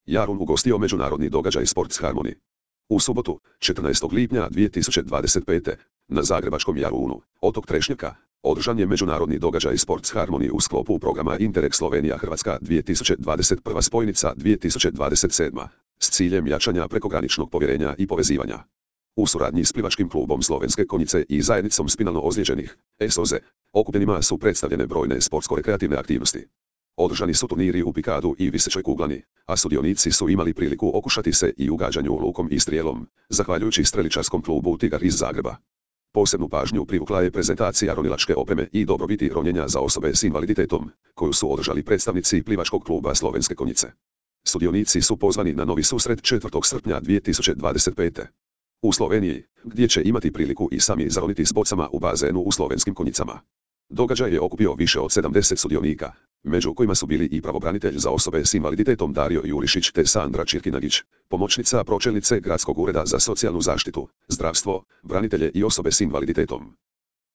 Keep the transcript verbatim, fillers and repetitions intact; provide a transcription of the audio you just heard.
Jarun ugostio međunarodni događaj Sports Harmony. U subotu, četrnaestog lipnja dvije tisuće dvadeset pete. na zagrebačkom Jarunu, otok Trešnjaka, održan je međunarodni događaj Sports Harmony u sklopu programa Interreg Slovenija-Hrvatska dvije tisuće dvadeset prva spojnica dvije tisuće dvadeset sedma. s ciljem jačanja prekograničnog povjerenja i povezivanja. U suradnji s plivačkim klubom Slovenske konjice i zajednicom spinalno ozlijeđenih, S O Z E, okupljenima su predstavljene brojne sportsko-rekreativne aktivnosti. Održani su turniri u pikadu i visećoj kuglani, a sudionici su imali priliku okušati se i u gađanju lukom i strijelom, zahvaljujući streličarskom klubu Tigar iz Zagreba. Posebnu pažnju privukla je prezentacija ronilačke opreme i dobrobiti ronjenja za osobe s invaliditetom, koju su održali predstavnici plivačkog kluba Slovenske konjice. Sudionici su pozvani na novi susret četvrtog srpnja dvije tisuće dvadeset pete. u Sloveniji, gdje će imati priliku i sami zaroniti s bocama u bazenu u slovenskim konjicama. Događaj je okupio više od sedamdeset sudionika, među kojima su bili i pravobranitelj za osobe s invaliditetom Dario Jurišić te Sandra Čirkinagić, pomoćnica pročelnice Gradskog ureda za socijalnu zaštitu, zdravstvo, branitelje i osobe s invaliditetom.